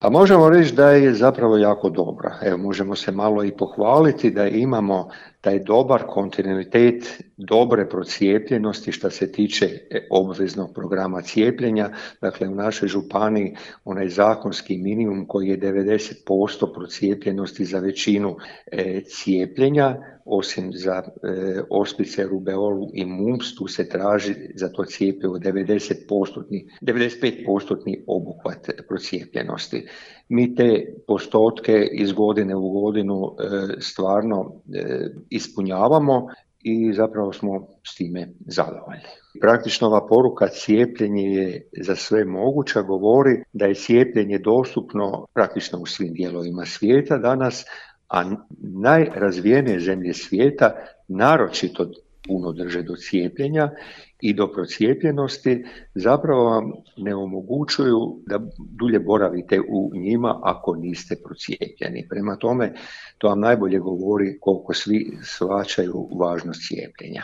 Pa možemo reći da je zapravo jako dobra. Evo, možemo se malo i pohvaliti da imamo taj dobar kontinuitet dobre procijepljenosti što se tiče obveznog programa cijepljenja. Dakle, u našoj županiji onaj zakonski minimum koji je 90% procijepljenosti za većinu cijepljenja, osim za ospice, rubeolu i mumps, tu se traži za to cjepivo 95% obuhvat procijepljenosti. Mi te postotke iz godine u godinu stvarno ispunjavamo i zapravo smo s time zadovoljni. Praktično ova poruka cijepljenje je za sve moguća govori da je cijepljenje dostupno praktično u svim dijelovima svijeta danas, a najrazvijenije zemlje svijeta naročito puno drže do cijepljenja i do procijepljenosti, zapravo vam ne omogućuju da dulje boravite u njima ako niste procijepljeni. Prema tome, to vam najbolje govori koliko svi shvaćaju važnost cijepljenja.